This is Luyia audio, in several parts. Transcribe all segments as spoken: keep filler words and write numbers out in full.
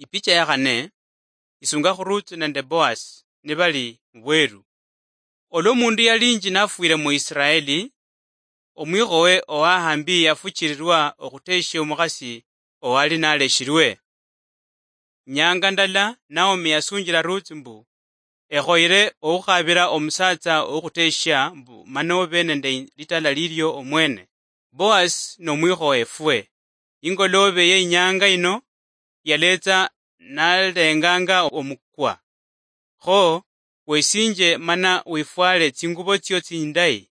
Ipicha ya khane, isunga khu Ruth nende Boaz nibali mubweru. Olwa omundu yalinji nafwire mu Israeli, omwikhowe owahambi yafuchirirwa okhuteshia omukhasi owali naleshirwe. Nyanga ndala, Naomi yasunjira Ruth mbu, "Ekhoyere okhukhabira omusatsa okhuteshia mbu mane obe nende litala lilio omwene." Boaz nomwikhowe efwe. Ingoloobe ye inyanga ino yaleetsa nalenganga omukwa. Kho wesinje mana wifwale tsingubo tsio tsindayi,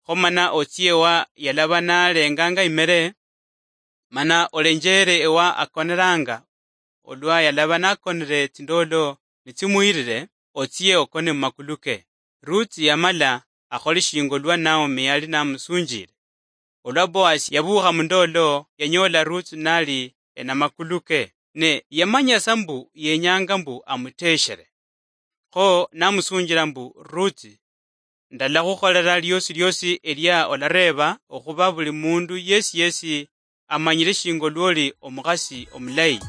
kho mana otsie wa yalaba nalenganga imere, mana olenjere ewa akoneranga, olwa yalaba nakonere tsindolo nitsimwirire, otsie okone mumakulu ke. Ruth yamala akhole shinga olwa Naomi yali namusunjire. Olwa Boaz yabuukha mundolo, yanyoola Ruth nali enamakulu ke, ne yamanya sa mbu yenyanga mbu amuteshere. Kho namusunjira mbu, "Ruth, ndalakhukholera liosi liosi elia olareeba, okhuba buli mundu yesi yesi amanyire shinga olwoli omukhasi omulayi."